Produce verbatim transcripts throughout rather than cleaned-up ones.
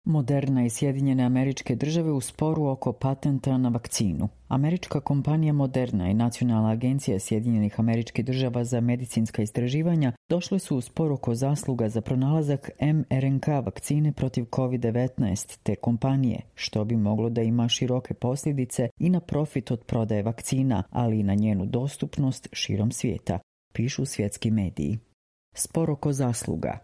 Moderna i Sjedinjene Američke Države u sporu oko patenta na vakcinu. Američka kompanija Moderna i Nacionalna agencija Sjedinjenih Američkih Država za medicinska istraživanja došle su u spor oko zasluga za pronalazak em er en ka vakcine protiv kovid devetnaest te kompanije, što bi moglo da ima široke posljedice i na profit od prodaje vakcina, ali i na njenu dostupnost širom svijeta, pišu svjetski mediji. Spor oko zasluga.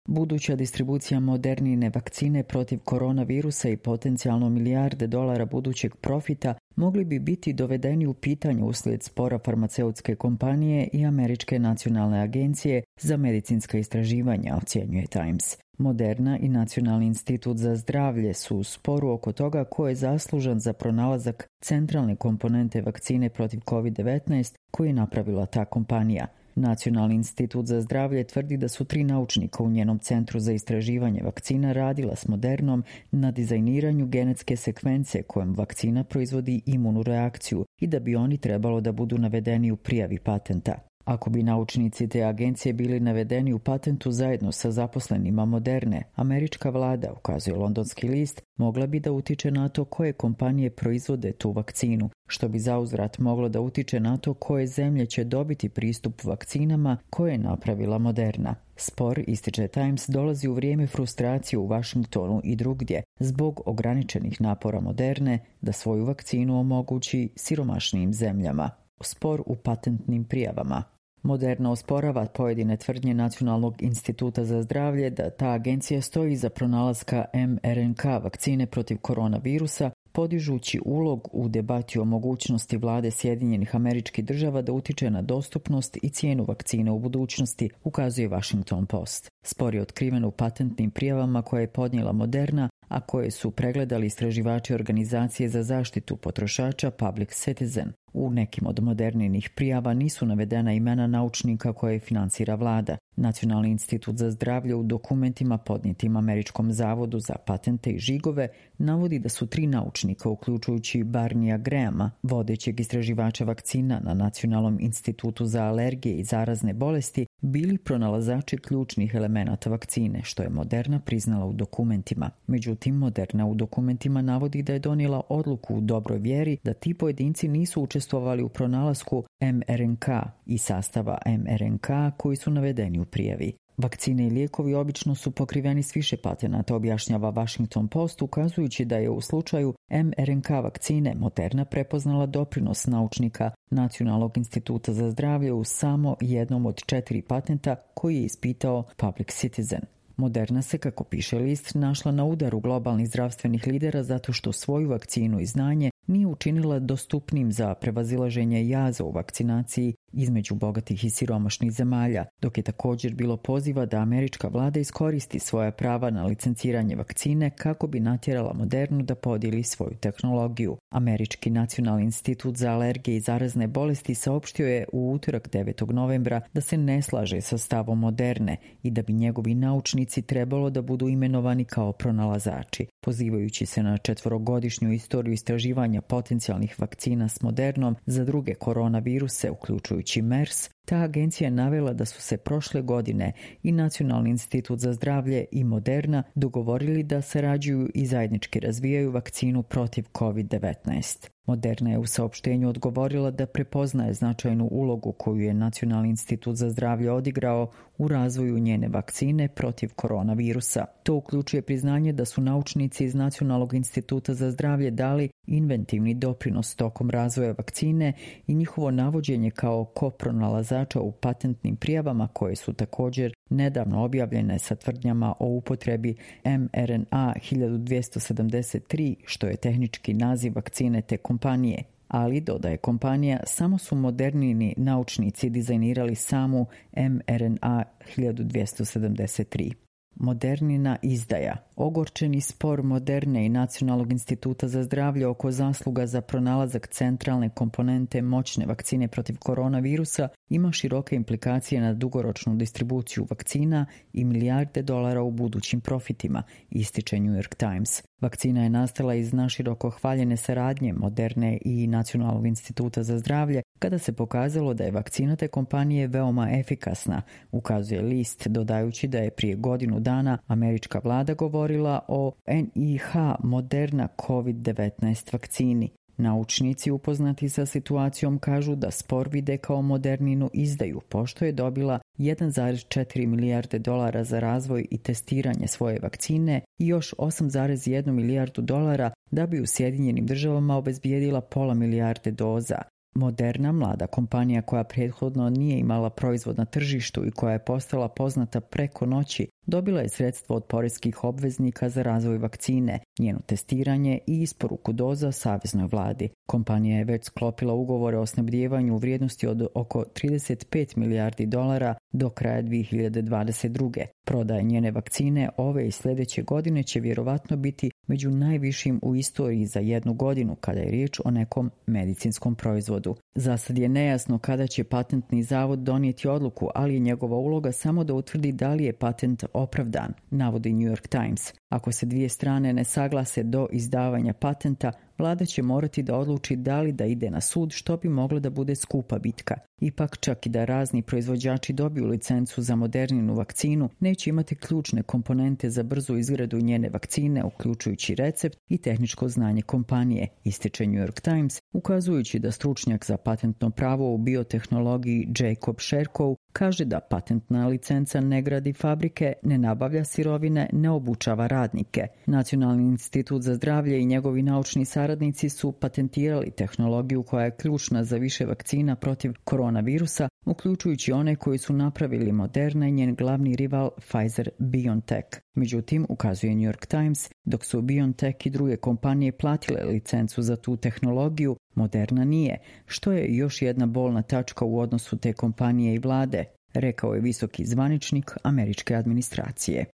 Buduća distribucija Modernine vakcine protiv koronavirusa i potencijalno milijarde dolara budućeg profita mogli bi biti dovedeni u pitanje uslijed spora farmaceutske kompanije i Američke nacionalne agencije za medicinska istraživanja, ocjenjuje Times. Moderna i Nacionalni institut za zdravlje su u sporu oko toga ko je zaslužan za pronalazak centralne komponente vakcine protiv kovid devetnaest koju je napravila ta kompanija. Nacionalni institut za zdravlje tvrdi da su tri naučnika u njenom centru za istraživanje vakcina radila s Modernom na dizajniranju genetske sekvence kojom vakcina proizvodi imunu reakciju i da bi oni trebalo da budu navedeni u prijavi patenta. Ako bi naučnici te agencije bili navedeni u patentu zajedno sa zaposlenima Moderne, američka vlada, ukazuje londonski list, mogla bi da utiče na to koje kompanije proizvode tu vakcinu, što bi zauzvrat moglo da utiče na to koje zemlje će dobiti pristup vakcinama koje je napravila Moderna. Spor, ističe Times, dolazi u vrijeme frustracije u Washingtonu i drugdje zbog ograničenih napora Moderne da svoju vakcinu omogući siromašnijim zemljama. Spor u patentnim prijavama. Moderna osporava pojedine tvrdnje Nacionalnog instituta za zdravlje da ta agencija stoji iza pronalaska em er en ka vakcine protiv koronavirusa, podižući ulog u debati o mogućnosti vlade Sjedinjenih Američkih Država da utiče na dostupnost i cijenu vakcine u budućnosti, ukazuje Washington Post. Spor je otkriven u patentnim prijavama koje je podnijela Moderna, a koje su pregledali istraživači organizacije za zaštitu potrošača Public Citizen. U nekim od Moderninih prijava nisu navedena imena naučnika koje financira vlada. Nacionalni institut za zdravlje u dokumentima podnijetim Američkom zavodu za patente i žigove navodi da su tri naučnika, uključujući Barneya Grahama, vodećeg istraživača vakcina na Nacionalnom institutu za alergije i zarazne bolesti, bili pronalazači ključnih elemenata vakcine, što je Moderna priznala u dokumentima. Međutim, Moderna u dokumentima navodi da je donijela odluku u dobroj vjeri da ti pojedinci nisu učestvovali u pronalasku em er en ka i sastava em er en ka koji su navedeni u prijavi. Vakcine i lijekovi obično su pokriveni s više patenata, objašnjava Washington Post, ukazujući da je u slučaju em er en ka vakcine Moderna prepoznala doprinos naučnika Nacionalnog instituta za zdravlje u samo jednom od četiri patenta koji je ispitao Public Citizen. Moderna se, kako piše list, našla na udaru globalnih zdravstvenih lidera zato što svoju vakcinu i znanje nije učinila dostupnim za prevazilaženje jaza u vakcinaciji između bogatih i siromašnih zemalja, dok je također bilo poziva da američka vlada iskoristi svoja prava na licenciranje vakcine kako bi natjerala Modernu da podijeli svoju tehnologiju. Američki Nacionalni institut za alergije i zarazne bolesti saopštio je u utorak devetog novembra da se ne slaže sa stavom Moderne i da bi njegovi naučnici trebalo da budu imenovani kao pronalazači. Pozivajući se na četvorogodišnju istoriju istraživanja potencijalnih vakcina s Modernom za druge koronaviruse, uključujući MERS, ta agencija je navela da su se prošle godine i Nacionalni institut za zdravlje i Moderna dogovorili da sarađuju i zajednički razvijaju vakcinu protiv kovid devetnaest. Moderna je u saopštenju odgovorila da prepoznaje značajnu ulogu koju je Nacionalni institut za zdravlje odigrao u razvoju njene vakcine protiv koronavirusa. To uključuje priznanje da su naučnici iz Nacionalnog instituta za zdravlje dali inventivni doprinos tokom razvoja vakcine i njihovo navođenje kao kopronalazača u patentnim prijavama koje su također nedavno objavljene sa tvrdnjama o upotrebi em er en a hiljadu dvjesto sedamdeset tri, što je tehnički naziv vakcine te kompanije. Ali, dodaje kompanija, samo su Modernini naučnici dizajnirali samu em er en a hiljadu dvjesto sedamdeset tri. Modernina izdaja. Ogorčeni spor Moderne i Nacionalnog instituta za zdravlje oko zasluga za pronalazak centralne komponente moćne vakcine protiv koronavirusa ima široke implikacije na dugoročnu distribuciju vakcina i milijarde dolara u budućim profitima, ističe New York Times. Vakcina je nastala iz naširoko hvaljene saradnje Moderne i Nacionalnog instituta za zdravlje kada se pokazalo da je vakcina te kompanije veoma efikasna, ukazuje list, dodajući da je prije godinu dana američka vlada govorila o N I H Moderna kovid devetnaest vakcini. Naučnici upoznati sa situacijom kažu da spor vide kao Moderninu izdaju, pošto je dobila jedan zarez četiri milijarde dolara za razvoj i testiranje svoje vakcine i još osam zarez jednu milijardu dolara da bi u Sjedinjenim državama obezbijedila pola milijarde doza. Moderna, mlada kompanija koja prethodno nije imala proizvod na tržištu i koja je postala poznata preko noći, dobila je sredstvo od poreskih obveznika za razvoj vakcine, njeno testiranje i isporuku doza saveznoj vladi. Kompanija je već sklopila ugovore o snabdijevanju u vrijednosti od oko trideset pet milijardi dolara do kraja dvije hiljade dvadeset druge. Prodaja njene vakcine ove i sljedeće godine će vjerovatno biti među najvišim u istoriji za jednu godinu kada je riječ o nekom medicinskom proizvodu. Zasad je nejasno kada će patentni zavod donijeti odluku, ali je njegova uloga samo da utvrdi da li je patent opravdan, navodi New York Times. Ako se dvije strane ne saglase do izdavanja patenta, vlada će morati da odluči da li da ide na sud, što bi moglo da bude skupa bitka. Ipak, čak i da razni proizvođači dobiju licencu za Moderninu vakcinu, neće imati ključne komponente za brzu izradu njene vakcine, uključujući recept i tehničko znanje kompanije, ističe New York Times, ukazujući da stručnjak za patentno pravo u biotehnologiji Jacob Sherkow kaže da patentna licenca ne gradi fabrike, ne nabavlja sirovine, ne obučava radnike. Nacionalni institut za zdravlje i njegovi naučni saradnici su patentirali tehnologiju koja je ključna za više vakcina protiv koronavirusa, uključujući one koji su napravili Moderna i njen glavni rival Pfizer-BioNTech. Međutim, ukazuje New York Times, dok su BioNTech i druge kompanije platile licencu za tu tehnologiju, Moderna nije, što je još jedna bolna tačka u odnosu te kompanije i vlade, rekao je visoki zvaničnik američke administracije.